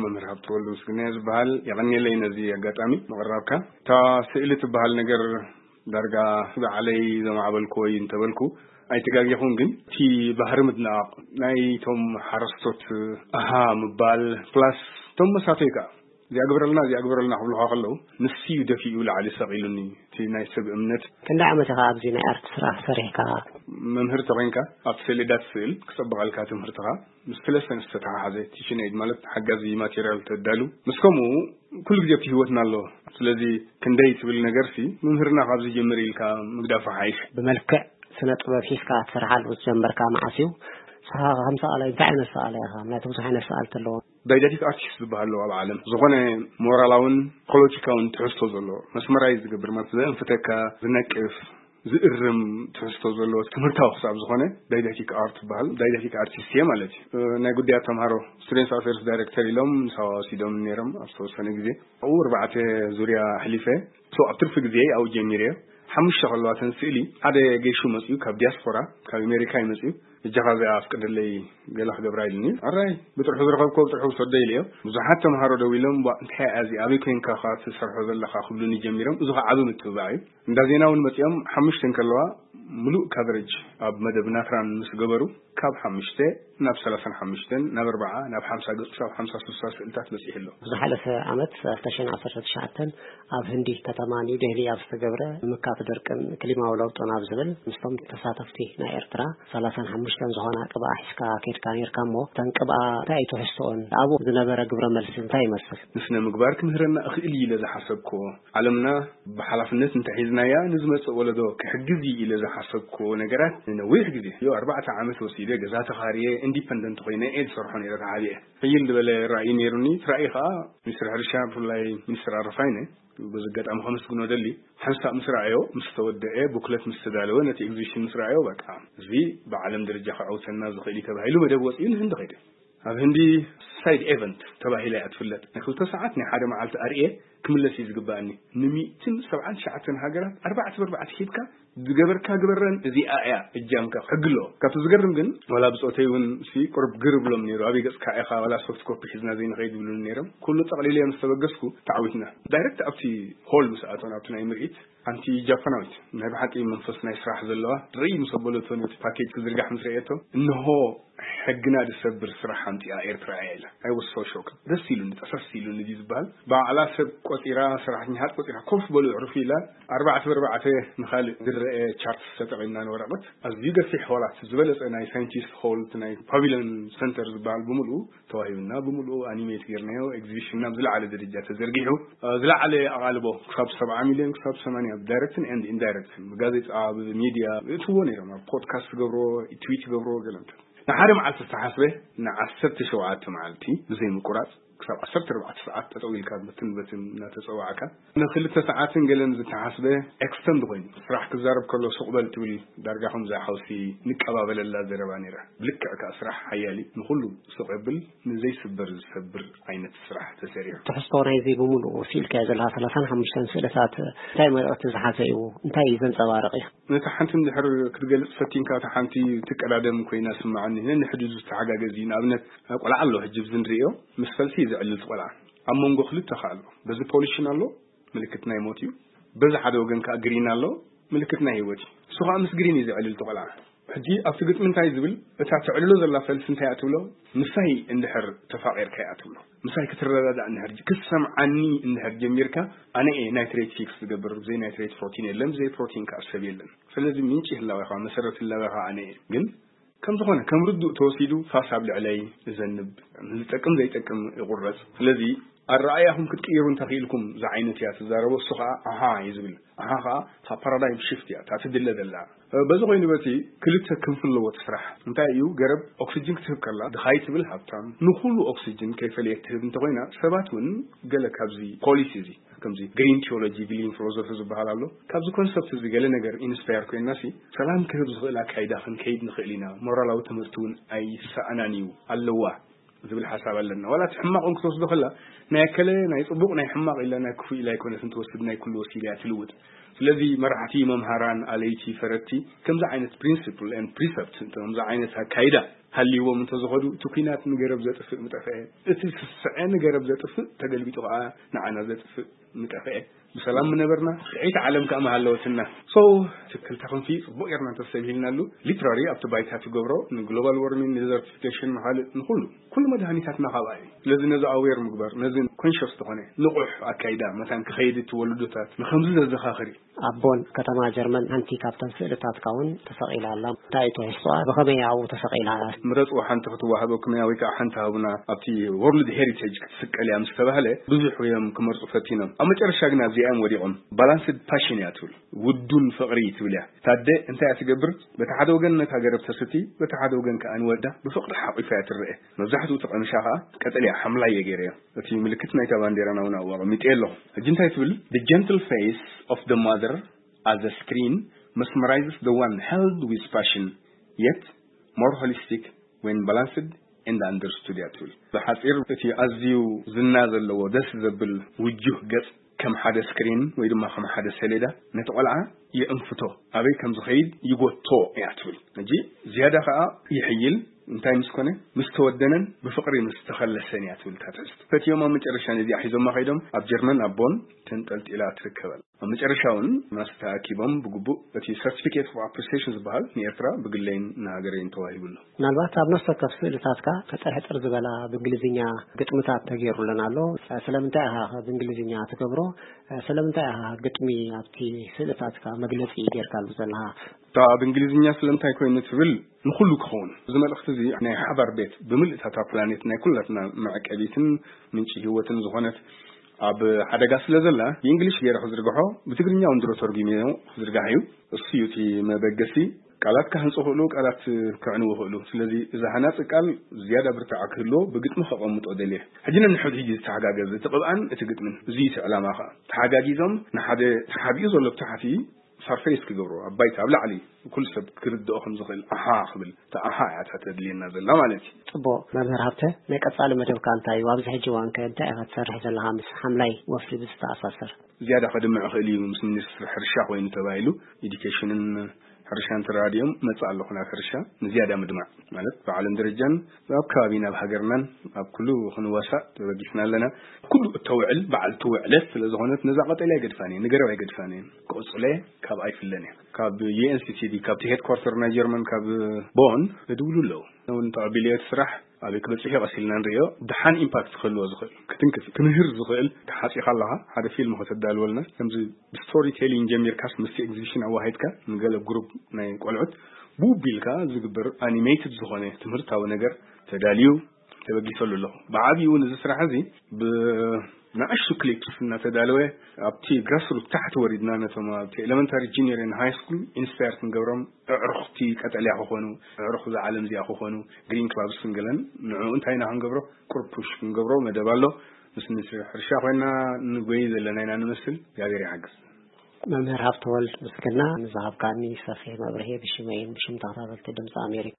መምህር ሃብተወልድ ምስግናዮ ዝበሃል። የቐንየለይ ነዚ ኣጋጣሚ ምቕራብካ። እታ ስእሊ ትበሃል ነገር ዳርጋ ባዕለይ ዘማዕበልኩዎ እዩ እንተበልኩ ኣይተጋጌኹን። ግን እቲ ባህሪ ምድናቕ ናይቶም ሓረስቶት፣ ኣሃ ምባል፣ ፕላስ እቶም መሳተይ ከኣ እዚኣ ግበረልና እዚኣ ግበረልና ክብሉኻ ከለዉ፣ ንሱ እዩ ደፊኡ ላዕሊ ሰቒሉኒ። እቲ ናይ ሰብ እምነት። ክንደይ ዓመት ኢኻ ኣብዚ ናይ ኣርት ስራሕ ሰሪሕካ? መምህር ተኾይንካ ኣብቲ ሰሌዳ ትስእል ክጸብቐልካ ትምህርትኻ ምስ ፍለሰን ዝተተሓሓዘ ቲሽን ኤድ ማለት ሓጋዚ ማቴሪያል ተዳሉ። ምስ ከምኡ ኩሉ ግዜ ኣብቲ ህይወትና ኣሎ። ስለዚ ክንደይ ትብል ነገርሲ፣ መምህርና ካብ ዝጀምር ኢልካ ምግዳፉ ሓይሽ። ብመልክዕ ስነ ጥበብ ሒዝካ ትሰርሓሉ ዝጀመርካ መዓስ እዩ? ንስኻ ከም ሰኣላይ እንታይ ዓይነት ሰኣላይ ኢኻ? ምክንያቱ ብዙሕ ዓይነት ሰኣልቲ ኣለዎ። ዳይዳክቲክ ኣርቲስት ዝበሃል ኣለዎ ኣብ ዓለም። ዝኾነ ሞራላውን ኢኮሎጂካውን ትሕዝቶ ዘለዎ መስመራይዝ ዝገብር፣ ማለት ዘእንፍተካ፣ ዝነቅፍ፣ ዝእርም ትሕዝቶ ዘለዎ ትምህርታዊ ክሳብ ዝኾነ ዳይዳክቲክ ኣርት ዝበሃል። ዳይዳክቲክ ኣርቲስት እየ ማለት እዩ። ናይ ጉዳያት ተምሃሮ፣ ስቱደንትስ ኣፌርስ ዳይሬክተር ኢሎም ንሳዋ ወሲዶም ነይሮም ኣብ ዝተወሰነ ግዜ። ኣብኡ ኣርባዕተ ዙርያ ኣሕሊፈ። So ኣብ ትርፊ ግዜ ኣብኡ ጀሚረ። ሓሙሽተ ከለዋ ተን ስእሊ ሓደ ገይሹ መፅዩ ካብ ዲያስፖራ፣ ካብ ኣሜሪካ እዩ መፅዩ። እጃኻ እዚኣ ኣፍቅደለይ ገለ ክገብራ ኢሉኒ። ኣራይ ብጥርሑ ዝረኸብኮ ብጥርሑ ውሰዶ ኢለዮ። ብዙሓት ተምሃሮ ደው ኢሎም፣ "ቧ፣ እንታይ እያ እዚ? ኣበይ ኮይንካ ኸ ትሰርሖ ዘለኻ?" ክብሉኒ ጀሚሮም። እዚ ኸዓ ዓቢ ምትብባዕ እዩ። እንዳ ዜና እውን መፂኦም ሓሙሽተ ከለዋ ምሉእ ካቨሬጅ ኣብ መደብ ናትራን ምስ ገበሩ፣ ካብ ሓሙሽተ ናብ ሰላሳን ሓሙሽተን፣ ናብ ኣርባዓ፣ ናብ ሓምሳ ገፅ፣ ክሳብ ሓምሳ ስልሳ ስእልታት በፂሑ ኣሎ። ዝሓለፈ ዓመት ክልተ ሽሕን ዓሰርተ ትሽዓተን ኣብ ህንዲ ከተማ ኒው ዴህሊ ኣብ ዝተገብረ ምካት ደርቅን ክሊማዊ ለውጥን ኣብ ዝብል ምስቶም ተሳተፍቲ ናይ ኤርትራ ሰላሳን ሓሙሽተን ዝኾና ቅብኣ ሒዝካ ከይድካ ነይርካ እሞ፣ እተን ቅብኣ እንታይ እዩ ትሕዝቶኦን? ኣብኡ ዝነበረ ግብረ መልሲ እንታይ ይመስል? ንስነ ምግባር ክምህረና እኽእል እዩ ኢለ ዝሓሰብክዎ፣ ዓለምና ብሓላፍነት እንተሒዝናያ ንዝመጽእ ወለዶ ክሕግዝ እዩ ኢለ ዝሓሰብክዎ ነገራት ንነዊሕ ግዜ፣ ዮ ኣርባዕተ ዓመት ወሲደ ገዛ ተኻርየ ኢንዲፐንደንት ኮይነ እየ ዝሰርሖ ነይረ ተሓቢኤ። ሕይል ዝበለ ራእይ ነይሩኒ። እቲ ራእይ ከኣ ሚኒስትር ሕርሻ ብፍላይ ሚኒስትር ኣረፋይነ በዚ ኣጋጣሚ ከመስግኖ ደሊ። ሓንሳእ ምስ ረኣዮ፣ ምስ ተወደአ፣ ቡክለት ምስ ተዳለወ፣ ነቲ ኤግዚቢሽን ምስ ረኣዮ፣ በቃ እዚ ብዓለም ደረጃ ከዐውተና ዝኽእል እዩ ተባሂሉ መደብ ወጺኡ ንህንዲ ከይደ። ኣብ ህንዲ ሳይድ ኤቨንት ተባሂላ እያ ትፍለጥ። ናይ ክልተ ሰዓት ናይ ሓደ መዓልቲ ኣርእየ ክምለስ እዩ ዝግባኣኒ። ንሚእትን ሰብዓን ትሽዓተን ሃገራት ኣርባዕተ ብኣርባዕተ ሂብካ ዝገበርካ ግበረን እዚኣ እያ እጃምካ ሕጊ ኣለዎ። ካብቲ ዝገርም ግን ዋላ ብጾተይ እውን ሲ ቁርብ ግር ብሎም ነይሩ። ኣበይ ገጽካ ኢኻ ዋላ ሶፍት ኮፒ ሒዝና ዘይንኸይድ ይብሉኒ ነይሮም። ኩሉ ጠቕሊለ ምስ ተበገስኩ ተዓዊትና። ዳይሬክት ኣብቲ ሆል ምስ ኣተውን ኣብቲ ናይ ምርኢት ሓንቲ ጃፓናዊት ናይ ብሓቂ መንፈስ ናይ ስራሕ ዘለዋ ርእይ ምስ ኣበለቶ ነቲ ፓኬጅ ክዝርጋሕ ምስ ረእየቶ፣ እንሆ ሕግና ዝሰብር ስራሕ ኣምፂኣ ኤርትራ እያ ኢላ። I was so shocked። ደስ ኢሉኒ፣ ጠሰስ ኢሉኒ ድዩ ዝበሃል። ባዕላ ሰብ ቆፂራ፣ ሰራሕተኛታት ቆፂራ፣ ኮፍ በሉ፣ ዕርፉ ኢላ፣ ኣርባዕተ ብኣርባዕተ ንኻልእ ዝረአ ቻርት ተጠቒምና ንወረቐት። ኣዝዩ ገፊሕ ሆላት፣ ዝበለፀ ናይ ሳይንቲስት ሆል፣ ናይ ፓቪሊዮን ሰንተር ዝበሃል ብምልኡ ተዋሂብና፣ ብምልኡ ኣኒሜት ጌርናዮ። ኤግዚቢሽንና ብዝለዓለ ደረጃ ተዘርጊሑ፣ እ፣ ዝለዓለ ኣቓልቦ ክሳብ ሰብዓ ሚልዮን ክሳብ ሰማንያ ብዳይሬክትን ኤንድ ኢንዳይሬክትን ብጋዜጣ፣ ብሚድያ ይእትዎ ነይሮም። ኣብ ፖድካስት ይገብሮ፣ ትዊት ይገብሮ፣ ገለ እንተ ንሓደ መዓልቲ ዝተሓስበ ንዓሰርተ ሸውዓተ መዓልቲ ብዘይ ምቁራጽ ክሳብ ዓሰርተ ኣርባዕተ ሰዓት ጠጠው ኢልካ በትን በትን እናተጸዋዕካ ንክልተ ሰዓትን ገለን ዝተሓስበ ኤክስተንድ ኮይኑ ስራሕ ክዛረብ ከሎ ሱቕ በል ትብል ዳርጋ ከምዛ ሓውሲ ንቀባበለላ ዘረባ ነይራ። ብልክዕ ከኣ ስራሕ ሓያል እዩ። ንኹሉ ስቕ የብል፣ ንዘይስበር ዝሰብር ዓይነት ስራሕ ተሰሪሑ። ትሕዝቶ ናይዚ ብምሉኡ ስኢልካዮ ዘለኻ ሰላሳን ሓሙሽተን ስእልታት እንታይ መልእኽቲ ዝሓዘ እዩ? እንታይ እዩ ዘንጸባርቕ እዩ? ነታ ሓንቲ እንድሕር ክትገልጽ ፈቲንካ፣ እታ ሓንቲ ትቀዳደም ኮይና ስምዓኒ። ነንሕድሕዱ ዝተሓጋገዝ እዩ። ንኣብነት፣ ቆልዓ ኣሎ፣ ሕጂ ኣብዚ ንርእዮ፣ ምስ ፈልሲ እዩ ዘዕልል እቲ ቆልዓ። ኣብ መንጎ ክልተ ከኣ ኣሎ። በዚ ፖሊሽን ኣሎ፣ ምልክት ናይ ሞት እዩ። በዚ ሓደ ወገን ከኣ ግሪን ኣሎ፣ ምልክት ናይ ህይወት እዩ። እሱ ከኣ ምስ ግሪን እዩ ዘዕልል እቲ ቆልዓ። ሕጂ ኣብቲ ግጥሚ እንታይ ዝብል፣ እታ ተዕልሎ ዘላ ፈልሲ እንታይ እያ ትብሎ? ምሳይ እንድሕር ተፋቒርካ እያ ትብሎ። ምሳይ ክትረዳዳእ እንድሕር ጀ-፣ ክትሰምዓኒ እንድሕር ጀሚርካ፣ ኣነ እየ ናይትሬት ፊክስ ዝገብር። ብዘይ ናይትሬት ፕሮቲን የለን፣ ብዘይ ፕሮቲን ከኣ ሰብ የለን። ስለዚ ምንጪ ህላዌኻ፣ መሰረት ህላዌኻ ኣነ እየ። ግን ከም ዝኾነ፣ ከም ርዱእ ተወሲዱ ፋስ ኣብ ልዕለይ እዘንብ፣ ዝጠቅም ዘይጠቅም ይቑረጽ። ስለዚ ኣረኣእያኹም ክትቅይሩ እንተኽኢልኩም ዝዓይነት እያ ትዛረቦ። እሱ ኸዓ ኣሃ እዩ ዝብል። ኣሃ ኸዓ እታ ፓራዳይም ሽፍት እያ፣ እታ ትድለ ዘላ። በዚ ኮይኑ በቲ ክልተ ክንፊ ኣለዎ እቲ ስራሕ። እንታይ እዩ? ገረብ ኦክሲጅን ክትህብ ከላ ድኻ ይትብል ሃብታም፣ ንኹሉ ኦክሲጅን ከይፈለየት ትህብ እንተኾይና፣ ሰባት እውን ገለ ካብዚ ፖሊሲ እዚ፣ ከምዚ ግሪን ቲዮሎጂ፣ ግሪን ፊሎሶፊ ዝበሃል ኣሎ። ካብዚ ኮንሰፕት እዚ ገለ ነገር ኢንስፓየር ኮይንና ሲ፣ ሰላም ክህብ ዝኽእል ኣካይዳ ክንከይድ ንኽእል ኢና። ሞራላዊ ትምህርቲ እውን ኣይሰኣናን እዩ፣ ኣለዋ ዝብል ሓሳብ ኣለና። ዋላ እቲ ሕማቕ እውን ክትወስዶ ከላ፣ ናይ ኣከለ ናይ ጽቡቕ ናይ ሕማቕ ኢላ ናይ ክፉእ ኢላ ኣይኮነትን ትወስድ፣ ናይ ኩሉ ወሲላ እያ ትልውጥ። ስለዚ መራሕቲ፣ መምሃራን፣ ኣለይቲ፣ ፈረድቲ ከምዚ ዓይነት ፕሪንሲፕል ኤንድ ፕሪሰፕት፣ ከምዚ ዓይነት ኣካይዳ ሃልይዎም እንተዝኸዱ፣ እቲ ኲናት ንገረብ ዘጥፍእ ምጠፍአ፣ እቲ ስስዐ ንገረብ ዘጥፍእ ተገልቢጡ ከዓ ንዓና ዘጥፍእ ምጠፍአ፣ ብሰላም ምነበርና፣ ጥዕይቲ ዓለም ከዓ ምሃለወትና። So፣ እቲ ክልተ ክንፊ ጽቡቕ ጌርና እንተሰቢልናሉ፣ ሊትራሪ ኣብቲ ባይታ ትገብሮ፣ ንግሎባል ዋርሚንግ፣ ንደዘርቲፊኬሽን፣ ንኻልእ፣ ንኹሉ፣ ኩሉ መድሃኒታትና ካብኣ እዩ። ስለዚ ነዚ ኣዌር ምግባር፣ ነዚ ኮንሽስ ዝኾነ ንቑሕ ኣካይዳ መታን ክኸይድ እቲ ወለዶታት ንኸምዚ ዘዘኻኽር እዩ። ኣቦን ከተማ ጀርመን ሓንቲ ካብተን ስእልታትካ እውን ተሰቒላ ኣላ። እንታይ እዩ ትሕዝቶኣ? ብኸመይ ኣብኡ ተሰቒላ? ምረጽዎ ሓንቲ ክትወሃበኩም እያ ወይ ከዓ ሓንቲ ሃቡና ኣብቲ ወርልድ ሄሪቴጅ ክትስቀል እያ ምስ ተባህለ ብዙሕ እዮም ክመርጹ ፈቲኖም። ኣብ መጨረሻ ግን ኣብዚኣ እዮም ወዲቖም። ባላንስድ ፓሽን እያ ትብል። ውዱን ፍቕሪ ትብል እያ። ታደ እንታይ እያ ትገብር? በቲ ሓደ ወገን ነታ ገረብ ተስቲ፣ በቲ ሓደ ወገን ከዓ ንወዳ ብፍቕሪ ሓቑፋ እያ ትረአ። መብዛሕትኡ እቲ ቀምሻ ከዓ ቀጠልያ ሓምላይ እየ ገይረዮ። እቲ ምልክት ናይታ ባንዴራና እውን ኣብኡ ኣቐሚጠ ኣለኹ። ሕጂ እንታይ ትብል? The gentle face of the mother as a screen mesmerizes the one held with passion, yet more holistic when balanced and understood እያ ትብል። ብሓጺር እቲ ኣዝዩ ዝና ዘለዎ ደስ ዘብል ውጁህ ገጽ ከም ሓደ ስክሪን ወይ ድማ ከም ሓደ ሰሌዳ ነቲ ቆልዓ ይዕንፍቶ፣ ኣበይ ከም ዝኸይድ ይጎቶ እያ ትብል። ሕጂ ዝያዳ ከኣ ይሕይል፣ እንታይ ምስ ኮነ? ምስ ተወደነን ብፍቕሪ ምስ ተኸለሰን እያ ትብል እታ ትሕዝቶ። ፈትዮም ኣብ መጨረሻ ነዚኣ ሒዞማ ከይዶም ኣብ ጀርመን ኣብ ቦን ተንጠልጢላ ትርከበል። ኣብ መጨረሻ እውን ማስ ተኣኪቦም ብግቡእ እቲ ሰርቲፊኬት ኦፍ ኣፕሪሲዬሽን ዝበሃል ንኤርትራ ብግለይን ንሃገረይን ተዋሂቡ ኣሎ። ምናልባት ኣብ ነፍሲ ወከፍ ስእልታትካ ሕጽር ሕጽር ዝበላ ብእንግሊዝኛ ግጥምታት ተገይሩለን ኣሎ። ስለምንታይ ኢኻ ብእንግሊዝኛ ትገብሮ? ስለምንታይ ኢኻ ግጥሚ ኣብቲ ስእልታትካ መግለጺ ጌርካሉ ዘለኻ? እታ ብእንግሊዝኛ ስለምንታይ ኮይኑ ትብል ንኹሉ ክኸውን። እዚ መልእኽቲ እዚ ናይ ሓባር ቤት ብምልእታታ ፕላኔት ናይ ኩላትና መዕቀቢትን ምንጪ ህይወትን ዝኾነት ኣብ ሓደጋ ስለ ዘላ ብእንግሊሽ ገይረ ክዝርግሖ ብትግርኛ እውን ድሮ ተርጉመዮ ክዝርጋሕ እዩ። እሱ እዩ እቲ መበገሲ። ቃላት ክሃንጹ ክእሉ፣ ቃላት ክዕንዉ ክእሉ። ስለዚ እዚ ሃናጺ ቃል ዝያዳ ብርታዐ ክህልዎ ብግጥሚ ከቐምጦ ደልየ። ሕጂ ነንሕድ ሕጂ ዝተሓጋገዝ እቲ ቅብኣን እቲ ግጥምን እዚ እዩ እቲ ዕላማ ኸኣ። ተሓጋጊዞም ንሓደ ተሓቢኡ ዘሎ ብታሕቲ ሰርፌስ ክገብሮ ኣብ ባይታ ኣብ ላዕሊ ኩሉ ሰብ ክርድኦ ከም ዝኽእል ኣሓ ክብል እታ ኣሓ እያ እታ ተድልየና ዘላ ማለት እዩ። ጽቡቕ መምህር ሃብተ፣ ናይ ቀጻሊ መደብካ እንታይ እዩ? ኣብዚ ሕጂ እዋን ከ እንታይ ኢኻ ትሰርሕ ዘለኻ ምስ ሓምላይ ወፍሪ ብዝተኣሳሰር? ዝያዳ ከድምዕ ይኽእል እዩ ምስ ሚኒስትሪ ሕርሻ ኮይኑ ተባሂሉ፣ ኤዱኬሽንን ሕርሻን ተራዲኦም መጽእ ኣለኹ ናብ ሕርሻ ንዝያዳ ምድማዕ ማለት ብዓለም ደረጃን ኣብ ከባቢና ኣብ ሃገርናን ኣብ ኩሉ ክንዋሳእ ተበጊስና ኣለና። ኩሉ እተውዕል በዓልቲ ውዕለት ስለ ዝኾነት ነዛ ቀጠልያ ኣይገድፋን እየ፣ ንገረብ ኣይገድፋን እየ፣ ክቕጽሎ እየ፣ ካብኣ ኣይፍለን እየ። ካብ ዩ ኤን ሲ ቲ ዲ ካብቲ ሄድኳርተር ናይ ጀርመን ካብ ቦን እድውሉ ኣለዉ። እውን ተቐቢለዮ እቲ ስራሕ ኣበይ ክበጽሕ እዩ ቀስ ኢልና ንርእዮ። ደሓን ኢምፓክት ክህልዎ ዝኽእል፣ ክትንክፍ፣ ክምህር ዝኽእል፣ ተሓጺኻ ኣለኻ ሓደ ፊልም ከተዳልወልና፣ ከምዚ ብስቶሪ ቴሊንግ ጀሚርካስ ምስቲ ኤግዚቢሽን ኣዋሂድካ ንገለ ግሩፕ ናይ ቆልዑት ብውቢ ኢልካ ዝግበር ኣኒሜትድ ዝኾነ ትምህርታዊ ነገር ተዳልዩ ተበጊሰሉ ኣለኹ። ብዓቢኡ እውን እዚ ስራሕ እዚ ብንኣሽቱ ክሊፕስ እናተዳለወ ኣብቲ ግራስሩት ታሕቲ ወሪድና ነቶም ኣብቲ ኤለመንታሪ፣ ጁኒየር ን ሃይ ስኩል ኢንስፓየር ክንገብሮም፣ ኣዕሩኽቲ ቀጠልያ ክኾኑ፣ ኣዕሩኽ እዛ ዓለም እዚኣ ክኾኑ፣ ግሪን ክላብስ ክንገለን ንዕኡ እንታይ ኢና ክንገብሮ? ቁሩብ ፑሽ ክንገብሮ መደብ ኣሎ። ምስ ሚኒስትሪ ሕርሻ ኮይና ንጎይ ዘለና ኢና ንመስል። እግዚኣብሔር ይሓግዝ። መምህር ሃብተወልድ ምስግና ንዝሃብካኒ ሰፊሕ መብርሂ ብሽመይን ብሽም ተኸታተልቲ ድምፂ ኣሜሪካ።